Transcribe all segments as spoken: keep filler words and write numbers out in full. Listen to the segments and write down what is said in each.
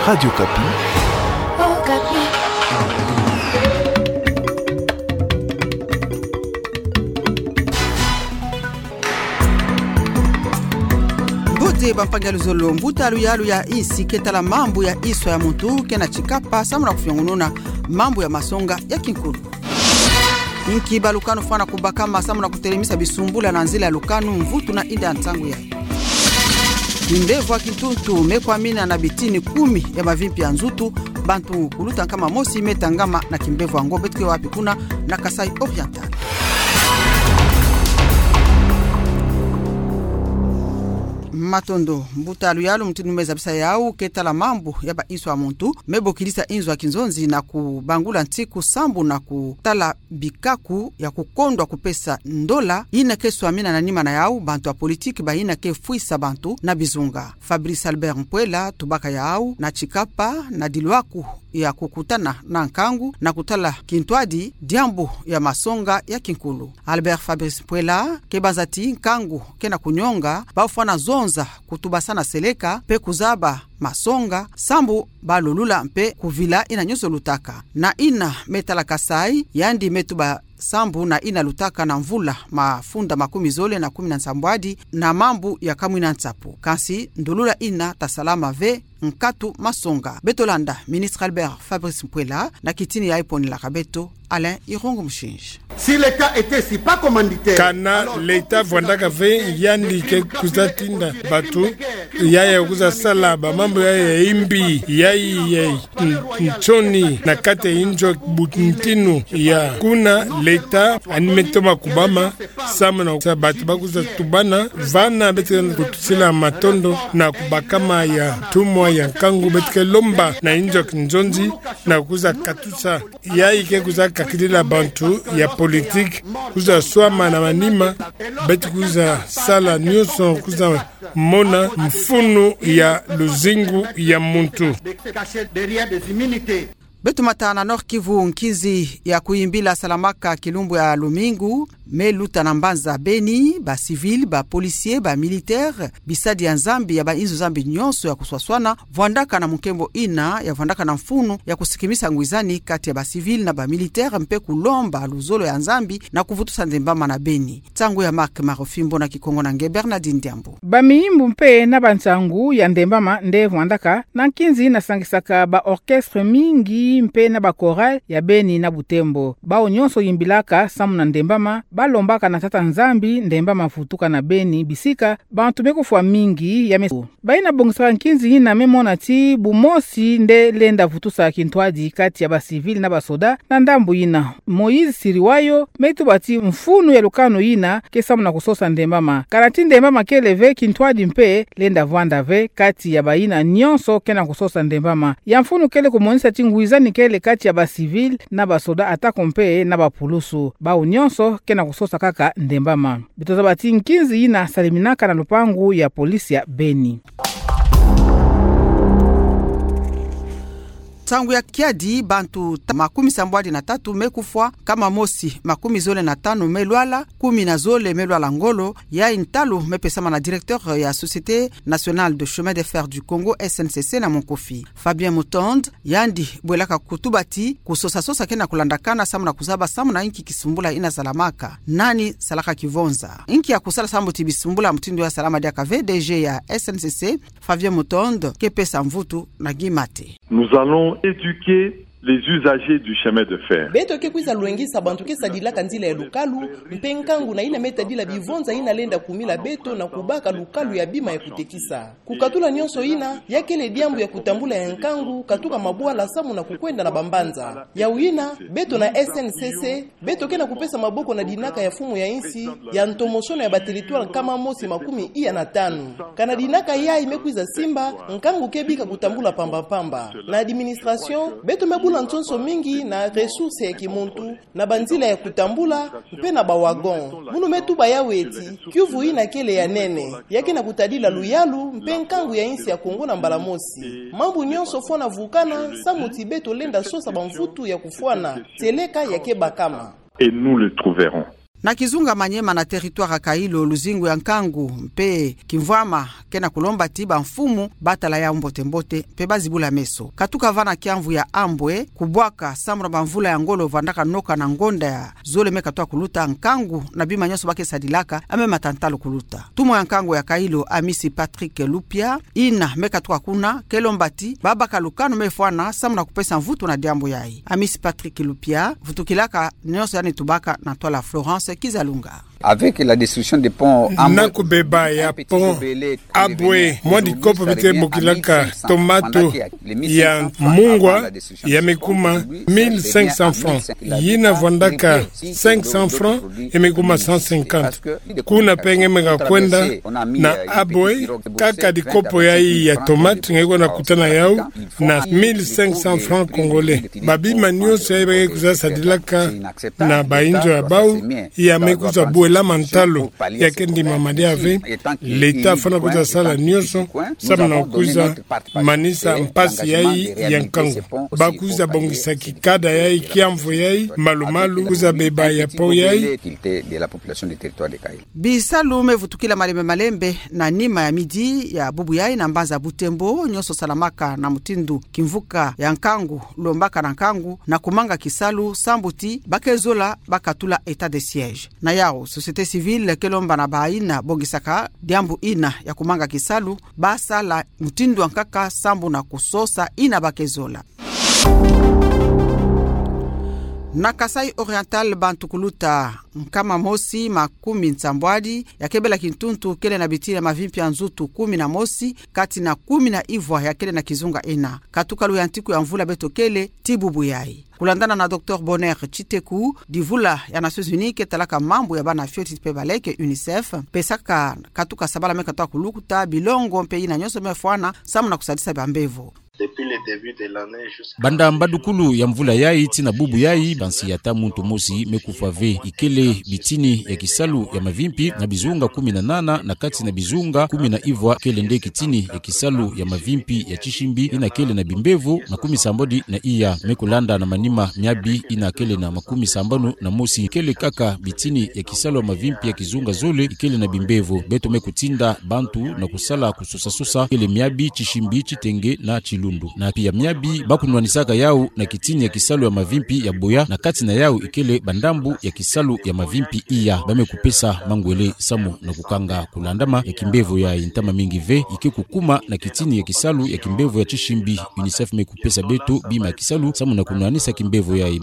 Radio Okapi. Mbote bampangi ya luzolo. Mbuta luyalu ya insi ke tala mambu ya iswa ya muntu kena tsikapa samu na kufiongununa mambu ya masonga ya kinkulu. Inki ba lukanu fwana kubakama samu na kutelemisa bisumbula na nzila ya lukanu, mvutu na inda ntangu yayi. Kimbevo ya kintuntu me kwamina na bitini kumi ya mavimpi ya nzutu, bantu kuluta nkama mosi me tangama na kimbevo yango. Beto ke wapi kuna? Na Kasaï Oriental. Matondo. Mbuta luyalu, mutindu me zabisa yawu, ke tala mambu ya ba iswa ya muntu me bokilisa inzo ya kinzonzi na kubangula ntiku sambu na kutala bikaku ya kukondwa kupesa ndola ina ke swamina na nima na yawu bantu ya politiki ba ina ke fwisa bantu na bizunga. Fabrice Albert Mpuela tubaka yawu na tsikapa na dilwaku ya kukutana na nkangu na kutala kintwadi diambu ya masonga ya kinkulu. Albert Fabrice Mpuela ke banza ti nkangu kena kunyonga, ba fwana zonza kutubasana seleka mpe kuzaba masonga sambu ba lolula mpe kuvila ina nyonso lutaka. Na ina me tala Kasaï, yandi me tuba sambu na ina lutaka na mvula mafunda makumi zole na kumi na nsambwadi na mambu ya kamwina nsapu. Kansi ndolula ina ta salama ve nkatu masonga. Beto landa ministre Albert Fabrice Mpuela na kitini yayi ponelaka beto Alain Irungu Mushinji. Si l'État était si pas commanditaire, kana alors, l'État vwandaka ve, yandi ke kwiza tinda bato yayi ya kwiza sala bamambu yayi ya imbi, yayi ya nsoni na kati ya inzo ya buntinu ya kuna. L'État ani me toma kubama samu na sa bato ba kwiza tubana. Vana beto ke kutusila matondo na kubakama ya ntumwa ya nkangu. Beto ke lomba na inzo ya kinzonzi na kwiza katusa yayi ke kwiza kakidila bantu ya politiki kwiza swama na manima. Beto kwiza sala nyonso kwiza mona mfunu ya luzingu ya muntu. Beto mata na Nord-Kivu. Nkinzi ya kuyimbila salamaka kilumbu ya lumingu me luta na mbanza Beni. Ba civils, ba policiers, ba militaires, bisadi ya Nzambi ya ba inzo Nzambi nyonso ya kuswaswana vwandaka na munkembo ina ya vwandaka na mfunu ya kusikimisa ngwizani kati ya ba civils na ba militaires mpe kulomba luzolo ya Nzambi na kuvutusa ndembama na Beni. Nsangu ya Marc Marofimbo na Kikongo na nge Bernardine Diambu. Bamiyimbu mpe na bansangu ya ndembama nde vwandaka na nkinzi ina sangisaka ba orchestres mingi mpe na ba chorales ya Beni na Butembo. Bawu nyonso yimbilaka samu na ndembama, ba lombaka na Tata Nzambi ndembama vutuka na Beni, bisika bantu me kufwa mingi ya meso. Bayina bongisaka nkinzi ina me mona ti bumosi nde lenda vutusa kintwadi kati ya ba civils na ba soda. Na ndambu ina, Moïse Siriwayo me tuba ti mfunu ya lukanu ina ke samu na kusosa ndembama. Kana ti ndembama kele ve, kintwadi mpe lenda vwanda ve kati ya bayina nyonso ke na kusosa ndembama. Ya mfunu kele kumonisa ti ngwizani kele kati ya ba civils na ba soda, atako mpe na ba pulusu. Bawu nyonso ke na kusosa kaka ndembama. Beto zaba ti nkinzi ina saliminaka na lupangu ya police ya Beni. Ntangu ya kiadi, bantu ta-, makumi sambwadi na tatu me kufwa, nkama mosi makumi zole na tanu me lwala, kumi na zole me lwala ngolo. Yayi ntalu me pesama na directeur ya Société Nationale de Chemin de Fer du Congo, S N C C, na monkofi Fabien Mutond. Yandi bwelaka kutuba ti kusosa-sosa ke na kulandakana samu na kuzaba samu na inki kisumbula ina salamaka, nani salaka kivonza, inki ya kusala samu ti bisumbula mutindu ya salama diaka ve. D G ya S N C C, Fabien Mutond, ke pesa mvutu na Guy Mate. Nous allons éduquer les usagers du chemin de fer. Beto ke kwiza lwengisa bantu ke sadilaka nzila ya lukalu, mpe nkangu na ina me tadila bivonza ina lenda kumila beto na kubaka lukalu ya bima ya kutekisa. Kukatula nyonso ina, ya kele diambu ya kutambula ya nkangu, katuka mabwala samu na kukwenda na bambanza. Yawu ina, beto na S N C C, beto ke na kupesa maboko na dinaka ya mfumu ya insi ya ntomosono ya ba territoires nkama mosi makumi iya na tanu. Kana dinaka yayi me kwiza simba, nkangu ke bika kutambula pamba-pamba. Na administration, beto me bula nsonso mingi na ressources ya kimuntu, na banzila ya kutambula, mpe na ba wagons. Munu me tuba yawu ti kiuvu ina kele ya nene, ya ke na kutadila luyalu mpe nkangu ya insi ya Congo na mbala mosi. Mambu nyonso fwana vukana samu ti beto lenda sosa bamvutu ya kufwana, tieleka ya ke bakama. Et nous le trouverons. Na kizunga Maniema na territoire ya Kailo, luzingu ya nkangu mpe kimvwama ke na kulomba ti bamfumu batala yau mbote-mbote mpe bazibula meso. Katuka vana kiamvu ya Ambwe kubwaka sambu na bamvula ya ngolo vwandaka noka na ngonda ya zole me katoa kuluta, nkangu na bima nyonso ba ke sadilaka ya me mata ntalu kuluta. Ntumwa ya nkangu ya Kailo, Amisi Patrick Lupia, yina me katuka kuna, ke lomba ti babaka lukanu me fwana sambu na kupesa mvutu na diambu yai. Amisi Patrick Lupia vutukilaka nyonso yandi tubaka na ntwala Florence Kizalunga. Avec la destruction des ponts, na kubeba ya pont Ambwe, mwa dikopo bite bokilaka tomate ya mungwa, ya me kuma mille cinq cents francs. Yina vwandaka cinq cents francs, ya me kuma cent cinquante. Kuna mpe nge me ka kwenda na Ambwe, kaka dikopo yai ya tomate nge kwenda kutana yau na mille cinq cents francs congolais. Babima nyonso yai ba ke kwiza sadilaka na bainzo ya bau, ya me kwiza bwelama ntalu, ya ke ndimama diaka ve. L'État fwana kwiza sala nyonso sambu na kwiza manisa mpasi yai ya nkangu. Ba kwiza bongisa kikada yai, kiamvu yai, malu-malu, kwiza beba ya pont yai. Bisalu me vutukila malembe-malembe na nima ya midi ya bubu yai na mbanza Butembo, nyonso salamaka na mutindu kimvuka ya nkangu lombaka na nkangu na kumanga kisalu sambu ti ba ke zola bakatula état de siège. Na yau, société civile ke lomba na bayina bongisaka diambu yina ya kumanga kisalu, basala mutindu ya nkaka sambu na kusosa yina ba ke zola. Na Kasaï Oriental, bantu kuluta nkama mosi makumi nsambwadi ya ke bela kintuntu kele na bitini ya mavimpi ya nzutu kumi na mosi, kati na kumi na ivwa ya kele na kizunga yina. Katuka luyantiku ya mvula beto kele tii bubu yai. Kulandana na Docteur Bonheur Tshiteku, divula ya Nations Unies ke talaka mambu ya bana fioti mpe baleke, UNICEF, pesaka katuka sabala me katoa kuluta bilongo mpe yina nyonso me fwana sambu na kusadisa bambevo. Banda mbadukulu ya mvula yai tii na bubu yai, bansi ya ata muntu mosi me kufwa ve. Ikele bitini ya kisalu ya mavimpi na bizunga kumi na nana, na kati na bizunga kumi na ivwa kele nde kitini ya kisalu ya mavimpi ya tisimbi yina kele na bimbevo makumi sambanu na iya. Me kulanda na manima miabi yina kele na makumi sambanu na mosi, kele kaka bitini ya kisalu ya mavimpi ya kizunga zole ikele na bimbevo. Beto me kutinda bantu na kusala kusosa-sosa kele miabi, tisimbi, titenge na tilundu. Na pia miabi ba kunwanisaka yau na kitini ya kisalu ya mavimpi ya boya, na kati na yau ikele bandambu ya kisalu ya mavimpi iya. Ba me kupesa mangwele samu na kukanga kulandama ya kimbevo yai. Ntama mingi ve ike kukuma na kitini ya kisalu ya kimbevo ya tisimbi. UNICEF me kupesa beto bima ya kisalu samu na kunwanisa kimbevo yai.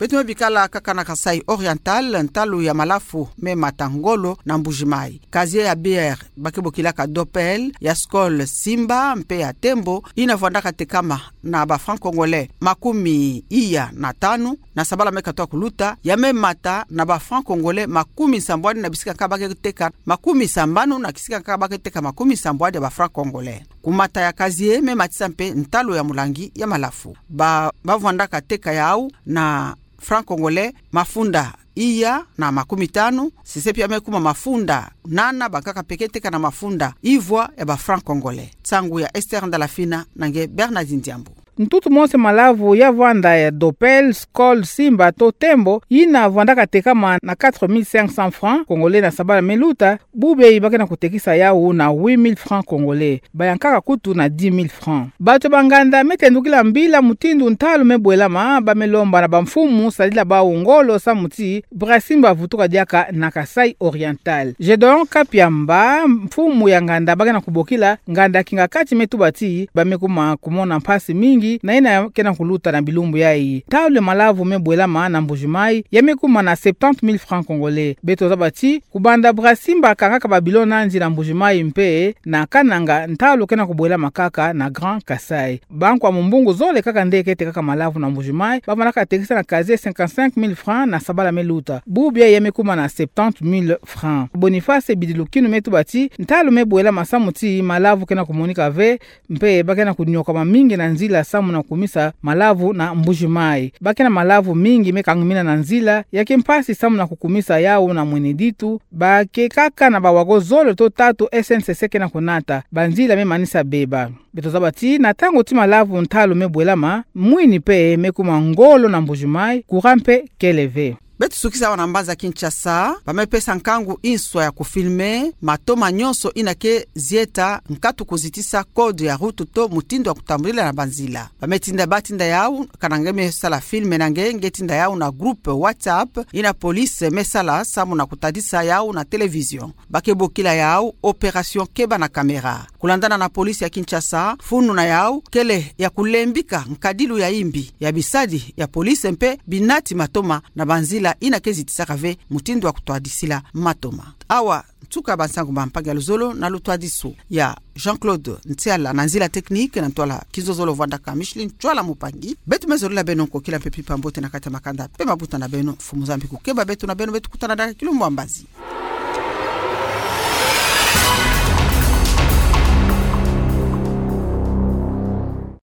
Beto me bikala kaka na Kasaï Oriental, ntalu ya malafu me mata ngolo na Mbuji-Mayi. Casier ya bière ba ke bokilaka Dopel, ya Skol Simba mpe ya Tembo, yina vwandaka tekama na ba francs congolais makumi iya na tanu, na sabala me katoa kuluta, ya me mata na ba francs congolais makumi sambwadi na bisika nkaka ba ke teka makumi sambanu, na kisika nkaka ba ke teka makumi sambwadi ya ba francs congolais. Kumata ya casier me matisa mpe ntalu ya mulangi ya malafu. Ba, ba vwandaka teka yau na francs congolais mafunda iya na makumi tanu, sese pia me kuma mafunda nana, bankaka mpe ke teka na mafunda ivwa ya ba francs congolais. Nsangu ya Esther Ndalafina na nge Bernardine Diambu. Ntutu mose malavu ya vwanda ya Dopel, Skol Simba to Tembo, yina vwandaka tekama na quatre mille cinq cents francs congolais na sabala me luta, bubu yai ba ke na kutekisa yau na huit mille francs congolais, bayankaka kutu na dix mille francs. Bato ba nganda me tendukila mbila mutindu ntalu me bwelama, ba me lomba na bamfumu sadila bau ngolo samu ti Brasimba avutuka diaka na Kasaï Oriental. Gedeon Kapiamba, mfumu ya nganda ba ke na kubokila nganda Kingakati, me tuba ti ba me kuma kumona mpasi mingi na yina ke na kuluta na bilumbu yai. Ntalu ya malavu me bwelama na Mbuji-Mayi ya me kuma na septante mille francs congolais. Beto zaba ti kubanda Brasimba akangaka ba bilo nandi na Mbuji-Mayi mpe na Kananga, ntalu ke na kubwelama kaka na Grand Kasaï. Bankwa mumbungu zole kaka nde ke tekaka malavu na Mbuji-Mayi ba vwandaka tekisa na casier cinquante-cinq mille francs na sabala me luta, bubu yai ya me kuma na septante mille francs. Boniface Bidilukinu me tuba ti ntalu me bwelama samu ti malavu ke na kumonika ve, mpe ba ke na kunyokama mingi na nzila samu na kukumisa malavu na Mbuji-Mayi. Ba ke na malavu mingi me kangimina na nzila, ya ke mpasi samu na kukumisa yau na mwene ditu, ba ke kaka na ba wago zole to tatu S N C C ke na kunata, banzila me manisa beba. Beto zaba ti na ntangu ti malavu ntalu me bwelama, mwini mpe me kuma ngolo na Mbuji-Mayi, courant mpe kele ve. Beto sukisa awa na mbanza Kinshasa, ba me pesa nkangu inswa ya kufilme matoma nyonso ina ke zieta nkatu kuzitisa code ya route to mutindu ya kutambulila na banzila. Ba me tinda, ba tinda yau, kana nge me sala filme na nge, nge tinda yau na groupe WhatsApp ina police me sala samu na kutadisa yau na télévision. Ba ke bokila yau opération Keba na caméra. Kulandana na police ya Kinshasa, funu na yau kele ya kulembika nkadilu ya imbi ya bisadi ya police mpe binati matoma na banzila ina ke zitisaka ve mutindu ya kutwadisila matoma. Awa nsuka ba nsangu ba mpangi ya luzolo na lutwadisu ya Jean-Claude Ntiala na nzila technique, na ntwala Kizozolo Vwandaka Micheline Ntwala Mupangi. Beto me zolila beno nkokila mpe mpimpa mbote na kati ya makanda mpe mabuta na beno. Mfumu Nzambi kukeba beto na beno, beto kutana diaka kilumbu ya mbazi.